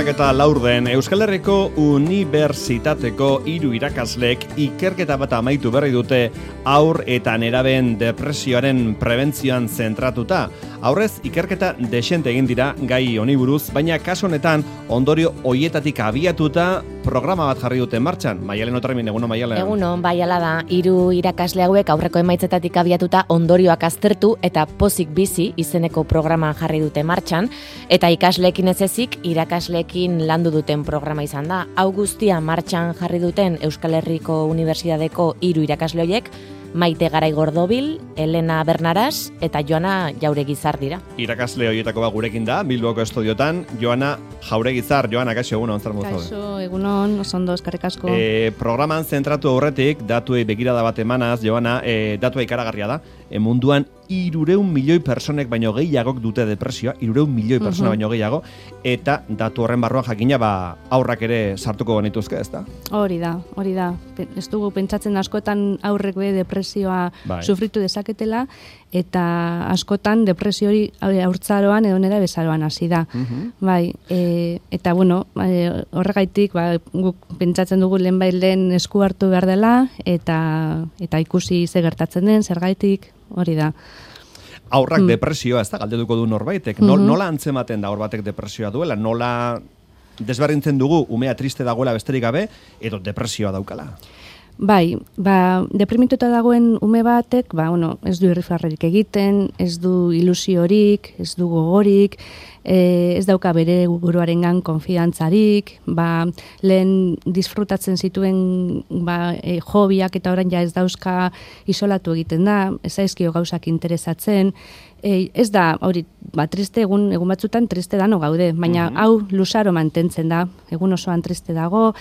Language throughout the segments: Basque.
eta laurden Euskal Herriko Unibertsitateko 3 irakaslek ikerketa bat amaitu berri dute haur eta nerabeen depresioaren prebentzioan zentratuta. Aurrez ikerketa desente egin dira gai honi buruz, baina kasu honetan ondorio hoietatik abiatuta programa bat jarri dute martxan. Maialen Otarmin, egunon Maialen. Egunon, bai ala da. 3 irakasle hauek aurreko emaitzetatik abiatuta ondorioak aztertu eta pozik bizi izeneko programa jarri dute martxan, eta ikasleekin ez ezik irakasleekin landu duten programa izan da. Hau guztia martxan jarri duten Euskal Herriko Unibertsitateko 3 irakasle horiek, Maite Garai Gordobil, Elena Bernaras eta Joana Jauregizar dira. Irakasle horietako bat gurekin da, Bilboko estudiotan, Joana Jauregizar. Joana, kaixo, egunon, zer modu zaude? Kaixo, egunon, oso ondo, eskerrik asko. Programan zentratu aurretik, datuei begirada bat emanaz, Joana, datua ikaragarria da, munduan 300 milioi personek baino gehiagok dute depresioa, 300 milioi persona baino gehiago, eta datu horren barruan jakina aurrak ere sartuko genituzke, ez da? Hori da. Ez dugu pentsatzen askotan aurrek be depresioa sufritu dezaketela, eta askotan depresio hori haurtzaroan edo nera bezaroan hasi da. Bai, eta bueno, horregaitik guk pentsatzen dugu lehen esku hartu behar dela, eta ikusi ze gertatzen den, zergaitik, hori da. Aurrak depresioa, ez da, galdetuko du norbaitek. Nola antzematen da hor batek depresioa duela? Nola desberdintzen dugu umea triste dagoela besterik gabe, edo depresioa daukala? Bai, deprimituta dagoen ume batek, ez du irrifarrerik egiten, ez du ilusiorik, ez du gogorik, ez dauka bere buruarengan konfidantzarik, lehen disfrutatzen zituen hobiak eta orain ja ez dauzka isolatu egiten da, ez zaizkio gauzak interesatzen, ez da, hori, triste egun batzutan triste dano gaude, baina hau luzaro mantentzen da, egun osoan triste dago,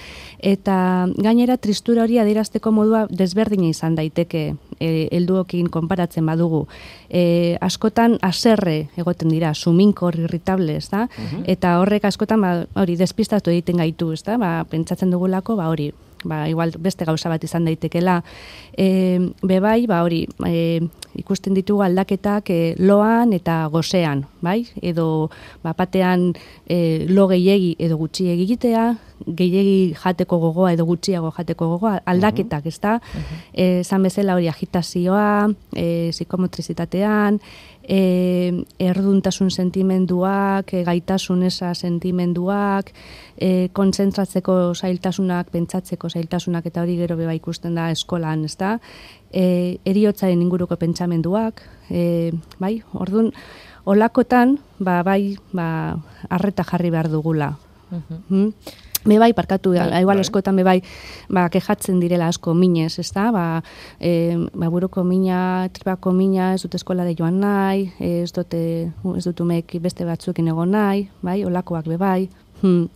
eta gainera tristura hori adierazteko modua desberdina izan daiteke helduokin konparatzen badugu. Askotan haserre egoten dira, suminkor, irritable, ez da? Eta horrek askotan hori despistatu egiten gaitu, ez da? Pentsatzen dugulako, hori, igual beste gauza bat izan daitekela. Bebai, hori, ikusten ditugu aldaketak loan eta gosean, bai? Edo batean lo gehiegi edo gutxiegi egitea, gehiegi jateko gogoa edo gutxiago jateko gogoa, aldaketak, ez da? Zan bezala hori agitazioa, psikomotrizitatean, erduntasun sentimenduak, gaitasun eza sentimenduak, kontzentratzeko zailtasunak, pentsatzeko zailtasunak, eta hori gero beba ikusten da eskolan, ez da? Heriotzaren inguruko pentsamenduak, bai, orduan, olakotan, arreta jarri behar dugula. Bebai, parkatu, igual askotan bebai, kejatzen direla asko minez, ez da? Buruko mina, tripako mina, ez dut eskolare joan nahi, ez dut umek beste batzuekin egon nahi, bai, olakoak bebai.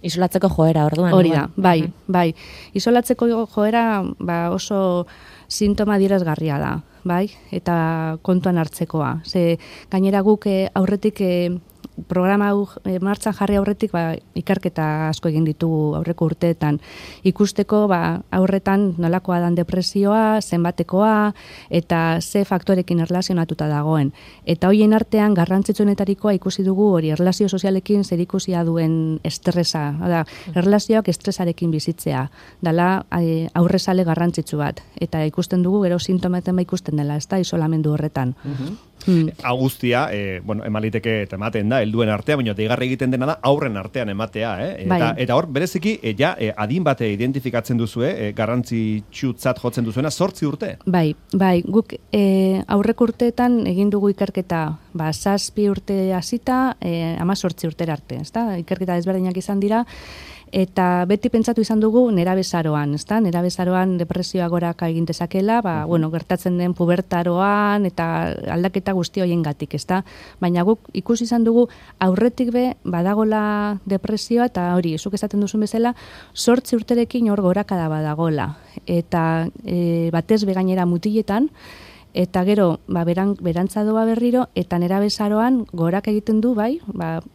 Isolatzeko joera, orduan. Hori da, bai. Isolatzeko joera oso sintoma adierazgarria da, bai, eta kontuan hartzekoa. Ze gainera guk aurretik programa hau martxan jarri aurretik ikerketa asko egin ditugu aurreko urteetan. Ikusteko aurretan nolakoa dan depresioa, zenbatekoa, eta ze faktorekin erlazionatuta dagoen. Eta hoien artean garrantzitsuenetarikoa ikusi dugu hori erlazio sozialekin zerikusia duen estresa. Erlazioak estresarekin bizitzea. Dala aurrezale garrantzitsu bat. Eta ikusten dugu gero sintomaten ikusten dela, ez da, isolamendu horretan. Guztia, emaliteke eta ematen da, helduen artean, baina deigarri egiten dena da aurren artean ematea, Eta hor, bereziki, adin bate identifikatzen duzue, garrantzitsutzat jotzen duzuena, 8 urte? Bai, guk aurreko urteetan egin dugu ikerketa, 7 urte hasita, 18 urtera arte, ez da? Ikerketa desberdinak izan dira, eta beti pentsatu izan dugu nerabezaroan, ezta? Nerabezaroan depresioa goraka egin dezakela, gertatzen den pubertaroan eta aldaketa guzti horiengatik, ezta? Baina guk ikusi izan dugu aurretik badagola depresioa, eta hori, zuk esaten duzun bezala, 8 urterekin hor gorakada badagola. Eta batez gainera mutiletan, eta gero, berantza doa berriro, eta nerabezaroan gorak egiten du,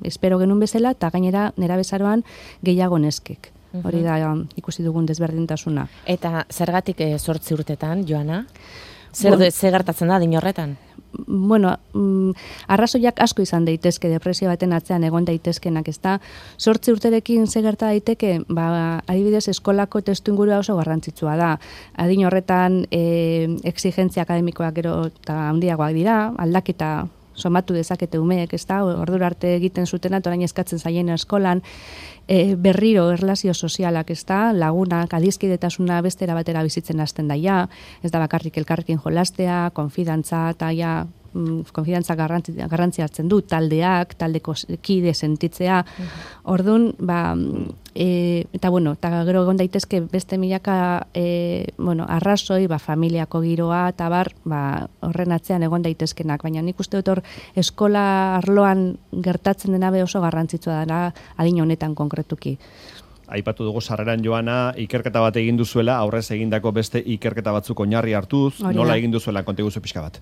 espero genuen bezala, eta gainera nerabezaroan gehiago neskek. Hori da ikusi dugun desberdintasuna. Eta zergatik 8 urtetan, Joana? Zer gertatzen da din horretan? arrazoiak asko izan daitezke depresio baten atzean egon daitezkenak, ezta? 8 urterekin ze gerta daiteke, adibidez eskolako testuingurua oso garrantzitsua da. Adin horretan exigentzia akademikoak gero eta handiagoak dira, aldaketa somatu dezakete umeek, ezta? Ordura arte egiten zutena, orain eskatzen zaien eskolan, berriro erlazio sozialak, ezta? Lagunak, adizkidetasuna bestera batera bizitzen hasten daia, ez da bakarrik elkarrekin jolastea, konfidantza, eta konfidantza garrantzi hartzen du, taldeak, taldeko kide sentitzea. Orduan, eta gero egon daitezke beste milaka arrazoi, familiako giroa, eta horren atzean egon daitezkenak, baina nik uste dut hor eskola arloan gertatzen dena oso garrantzitsua dela adin honetan konkretuki. Aipatu dugu sarreran joana, ikerketa bat egin duzuela, aurrez egindako beste ikerketa batzuk oinarri hartuz, nola egin duzuela, konta iguzu pixka bat?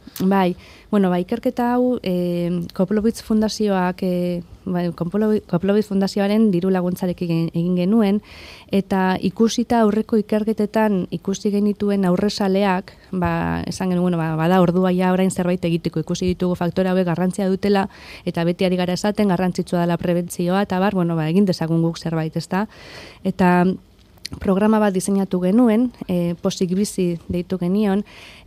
Ikerketa hau Koplowitz Fundazioak, Koplowitz Fundazioaren diru laguntzarekin egin genuen, eta ikusita aurreko ikerketetan ikusi genituen aurrezaleak, esan genuen, bada ordua ja orain zerbait egiteko, ikusi ditugu faktore hauek garrantzia dutela, eta beti ari gara esaten garrantzitsua dela prebentzioa, eta egin dezagun guk zerbait, ezta? Eta programa bat diseinatu genuen, Pozik Bizi deitu genion,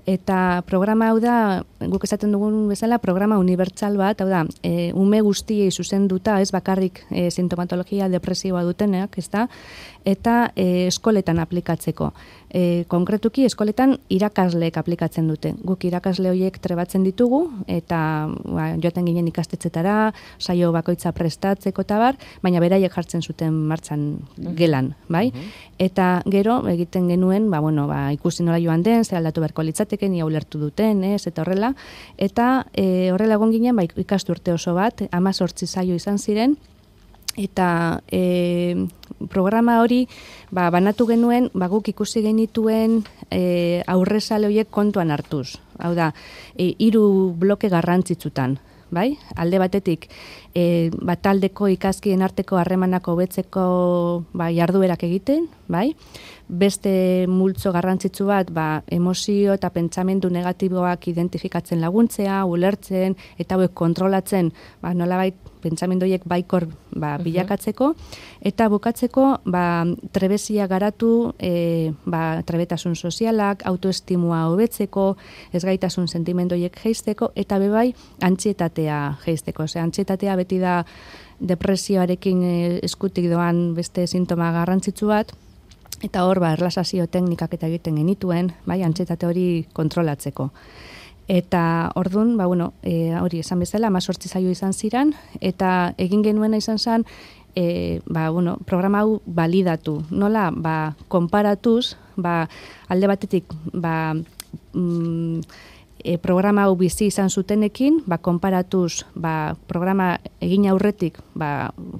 eta programa hau da, guk esaten dugun bezala, programa unibertsal bat, hau da, ume guztiei zuzenduta, ez bakarrik sintomatologia depresioa dutenak, ezta? Eta eskoletan aplikatzeko. Konkretuki eskoletan irakasleek aplikatzen dute. Guk irakasle horiek trebatzen ditugu, eta joaten ginen ikastetzetara, saio bakoitza prestatzeko eta baina beraiek jartzen zuten martxan gelan, bai? Eta gero egiten genuen, ikusi nola joan den, zer aldatu beharko litzateken, ia ulertu duten, eta horrela. Eta horrela egon ginen, ikasturte oso bat, 18 saio izan ziren, eta programa hori banatu genuen, guk ikusi genituen aurrezale horiek kontuan hartuz. Hau da, 3 bloke garrantzitsutan. Bai? Alde batetik, taldeko ikaskien arteko harremanako hobetzeko jarduerak egiten, bai? Beste multzo garrantzitsu bat, emozio eta pentsamendu negatiboak identifikatzen laguntzea, ulertzen, eta hauek kontrolatzen, nolabait pentsamendu horiek baikor bilakatzeko, eta bukatzeko trebezia garatu, trebetasun sozialak, autoestimua hobetzeko, ezgaitasun sentimendu horiek jeisteko, eta bebai antsietatea jeisteko. Antsietatea beti da depresioarekin eskutik doan beste sintoma garrantzitsu bat, eta hor erlaxazio teknikak eta egiten genituen, antsietate hori kontrolatzeko. Eta ordun, hori esan bezala, 18 saio izan ziren, eta egin genuena izan zen, programa hau balidatu. Nola, konparatuz, alde batetik, programa hau bizi izan zutenekin, konparatuz, programa egin aurretik,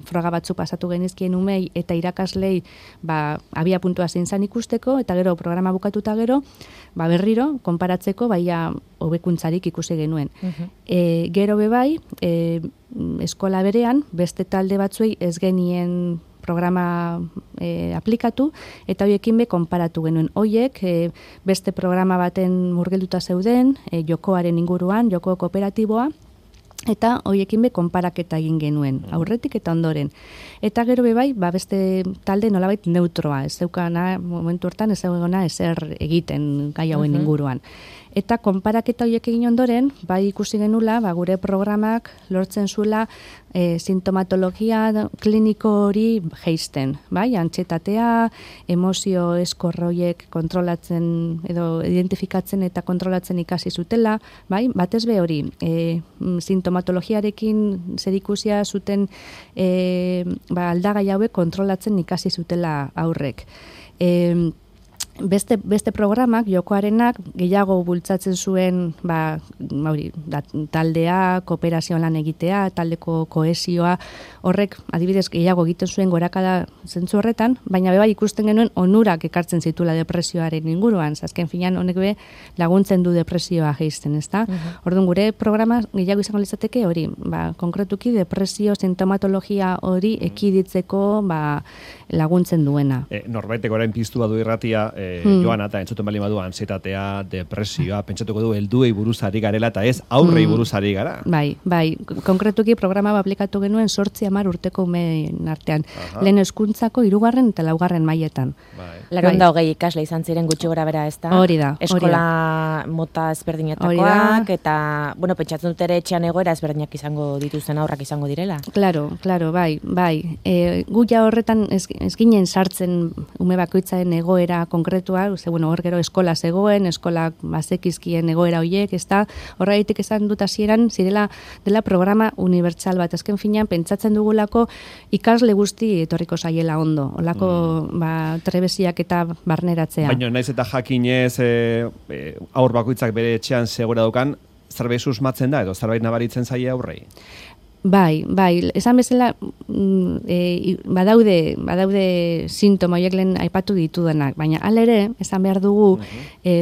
froga batzu pasatu genizkien umei eta irakaslei, abia puntua zein zan ikusteko, eta gero programa bukatuta gero, berriro, konparatzeko, hobekuntzarik ikusi genuen. Gero bebai, eskola berean, beste talde batzuei ez genien programa aplikatu, eta horiekin konparatu genuen. Horiek beste programa baten murgelduta zeuden, jokoaren inguruan, joko kooperatiboa, eta horiekin konparaketa egin genuen, aurretik eta ondoren. Eta gero bebai, beste talde nolabait neutroa, ez zeukana, momentu hortan ez zeugana ezer egiten gai hauen inguruan. Eta konparaketa horiek egin ondoren, ikusi genula, gure programak lortzen zuela sintomatologia kliniko hori jeisten, antsietatea, emozio eskorroiek kontrolatzen edo identifikatzen eta kontrolatzen ikasi zutela, batez be hori, sintomatologiarekin zerikusia zuten aldagai hauek kontrolatzen ikasi zutela aurrek. Beste programak, jokoarenak, gehiago bultzatzen zuen taldea, kooperazio lan egitea, taldeko kohesioa, horrek adibidez gehiago egiten zuen gorakada zentzu horretan, baina beba ikusten genuen onurak ekartzen zituela depresioaren inguruan, azken finean honek be laguntzen du depresioa jeisten, ezta? Orduan gure programa gehiago izango litzateke hori, konkretuki depresio sintomatologia hori ekiditzeko laguntzen duena. Norbaitek orain piztu badu irratia, Joana, eta entzuten bali badu ansietatea, depresioa, pentsatuko du helduei buruz ari garela, eta ez aurrei buruz ari gara. Bai, konkretuki programa aplikatu genuen 8-10 urteko umeen artean. Lehen hezkuntzako 3. eta 4. mailetan. Laron da 20 ikasle izan ziren gutxi gora bera, ez da? Hori da. Eskola mota ezberdinetakoak, eta, pentsatzen dut ere etxean egoera ezberdinak izango dituzten aurrak izango direla. Claro, bai. Gu ja horretan ez ginen sartzen ume bakoitzaren egoera konkretua, hor gero eskola zegoen, eskolak bazekizkien egoera horiek, ez da, horreitik esan dut hasieran zirela dela programa unibertsal bat, azken finean pentsatzen dugulako ikasle guzti etorriko zaiela ondo, olako trebesiak eta barneratzea. Baina naiz eta jakinez aur bakoitzak bere etxean segura daukan, zerbait susmatzen da edo zerbait nabaritzen zaie aurrei? Bai, esan bezala badaude sintoma horiek lehen aipatu ditudanak, baina hala ere, esan behar dugu,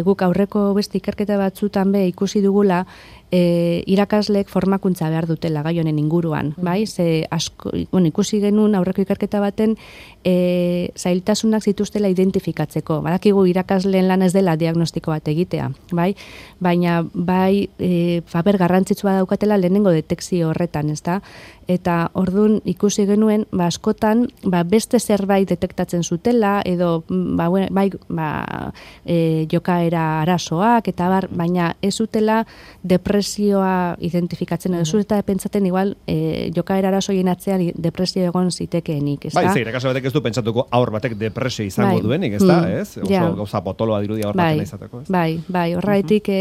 guk aurreko beste ikerketa batzutan ikusi dugula, irakaslek formakuntza behar dutela gai honen inguruan, bai? Ze asko, ikusi genuen aurreko ikerketa baten zailtasunak zituztela identifikatzeko. Badakigu irakasleen lan ez dela diagnostiko bat egitea, bai? Baina paper garrantzitsua daukatela lehenengo detekzio horretan, ezta? Eta ordun ikusi genuen askotan beste zerbait detektatzen zutela edo jokaera arazoak eta baina ez zutela depresioa identifikatzen edo zutela pentsatzen igual jokaera arazoien atzean depresio egon zitekeenik, ezta? Bai, irakasle batek ez du pentsatuko aur batek depresio izango duenik, ezta, ez? Oso gauza potoloa dirudia hor baten izateko, ez? Bai, horregatik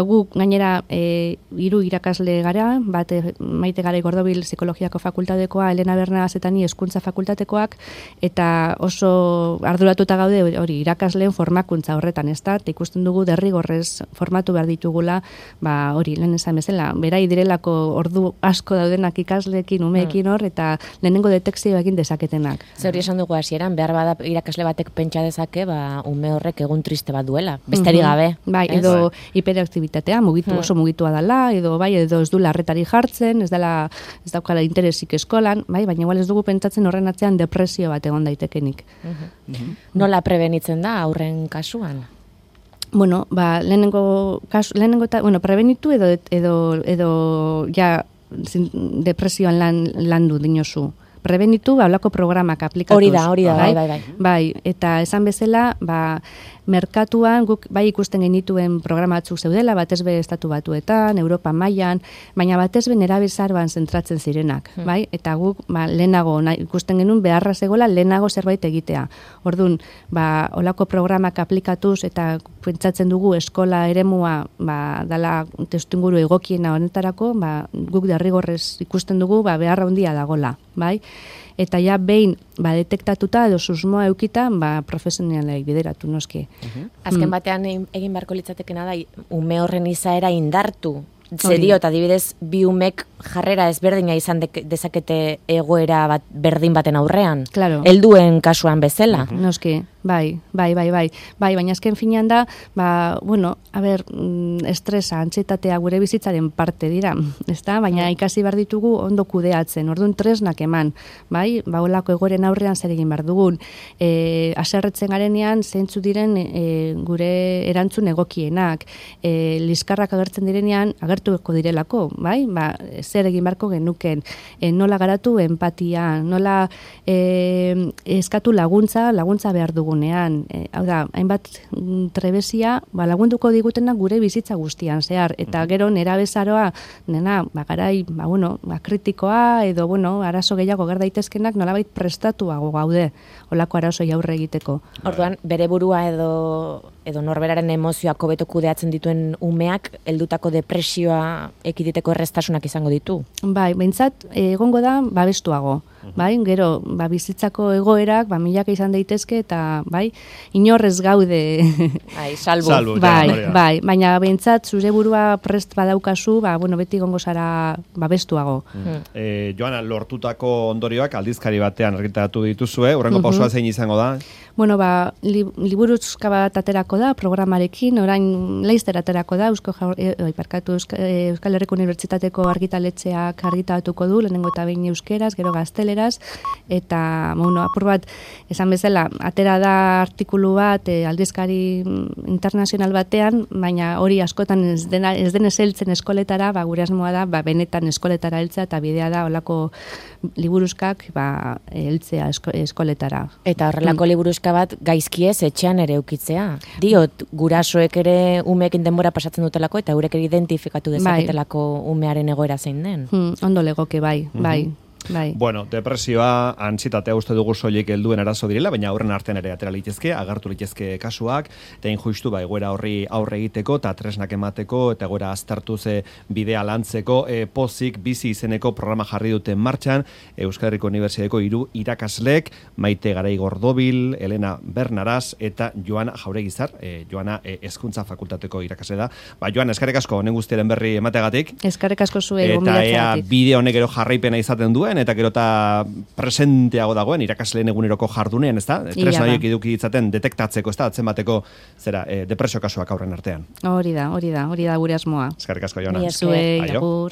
guk gainera 3 irakasle gara, bat Maite Garai Gordobil Psikologiako fakultatekoa, Elena Bernabas eta ni Hezkuntza fakultatekoak, eta oso arduratuta gaude hori irakasleen formakuntza horretan, ezta? Eta ikusten dugu derrigorrez formatu behar ditugula, hori lehen esan bezala, berai direlako ordu asko daudenak ikasleekin, umeekin hor, eta lehenengo detekzio egin dezaketenak. Ze hori esan dugu hasieran, behar bada irakasle batek pentsa dezake, ume horrek egun triste bat duela, besterik gabe. Bai, edo hiperaktibitatea, oso mugitua dela, edo ez du larretari jartzen, ez daukala interesik eskolan, baina igual ez dugu pentsatzen horren atzean depresio bat egon daitekenik. Nola prebenitzen da aurren kasuan? Lehenengo prebenitu edo ja depresioan landu dinozu. Prebenitu, hablako programak aplikatuz. Hori da, bai. Eta esan bezala, merkatuan, guk bai ikusten genituen programa batzuk zeudela, batez be estatu batuetan, Europa mailan, baina batez be nerabezaroan zentratzen zirenak, bai? Eta guk lehenago ikusten genuen beharra zegoela lehenago zerbait egitea. Orduan, olako programak aplikatuz eta pentsatzen dugu eskola eremua dala testuinguru egokiena honetarako, guk derrigorrez ikusten dugu beharra handia dagola, bai? Eta ja behin detektatuta edo susmoa eukita, profesionalei bideratu noski. Azken batean egin beharko litzatekena da ume horren izaera indartu. Zerio, eta adibidez, bi umek jarrera ezberdina izan dezakete egoera berdin baten aurrean. Claro. Helduen kasuan bezala. Noski, bai, baina azken finean da, estresa, antsietatea gure bizitzaren parte dira, ezta? Baina ikasi behar ditugu ondo kudeatzen, orduan tresnak eman, bai? Olako egoeren aurrean zer egin behar dugun. Haserretzen garenean, zeintzu diren gure erantzun egokienak, liskarrak agertzen direnean, agertuko direlako, bai? Zer egin beharko genuken, nola garatu empatia, nola eskatu laguntza behar dugunean. Hau da, hainbat trebesia lagunduko digutenak gure bizitza guztian zehar. Eta gero nerabezaroa, garai, kritikoa, edo, arazo gehiago ger daitezkenak nolabait prestatuago gaude olako arazoi aurre egiteko. Orduan, bere burua edo norberaren emozioak hobeto kudeatzen dituen umeak, heldutako depresioa ekiditeko erreztasunak izango ditu. Bai, behintzat, egongo da, babestuago. Bai, gero, bizitzako egoerak, milaka izan daitezke, eta, inorrez gaude. Salbu. Bai, baina behintzat, zure burua prest badaukazu, beti egongo zara babestuago. Joana, lortutako ondorioak aldizkari batean argitaratu dituzue, horrengo pausua zein izango da? Liburuzka bat aterako aterako da programarekin, orain laizter aterako da Euskal Herriko Unibertsitateko argitaletxeak argitaratuko du, lehenengo eta behin euskeraz, gero gazteleraz, eta apur bat, esan bezala, atera da artikulu bat aldizkari internazional batean, baina hori askotan ez denez heltzen eskoletara, gure asmoa da, benetan eskoletara heltzea, eta bidea da olako liburuzkak heltzea eskoletara. Eta horrelako liburuzka bat gaizkiez etxean ere eukitzea. Diot, gurasoek ere umeekin denbora pasatzen dutelako, eta eurek ere identifikatu dezaketelako umearen egoera zein den. Ondo legoke, bai. Bueno, depresioa, antsietatea uste dugu soilik helduen arazo direla, baina aurren artean ere atera litezke, agartu litezke kasuak, eta injustu egoera horri aurre egiteko, eta tresnak emateko, eta egoera aztertu ze bidea lantzeko, pozik bizi izeneko programa jarri duten martxan, Euskal Herriko Unibertsitateko 3 irakaslek, Maite Garai Gordobil, Elena Bernaraz, eta Joana Jauregizar, Joana Hezkuntza Fakultateko irakasle da. Joana, eskerrik asko, honen guztiaren berri emategatik. Eskerrik asko zuei, eta ea bideo honek gero jarraipena izaten duen, eta gero eta presenteago dagoen irakasleen eguneroko jardunean, ezta? Tresna horiek eduki ditzaten detektatzeko, ezta? Atzemateko depresio kasuak aurren artean. Hori da gure asmoa. Eskerrik asko, Joana. Zuei, agur.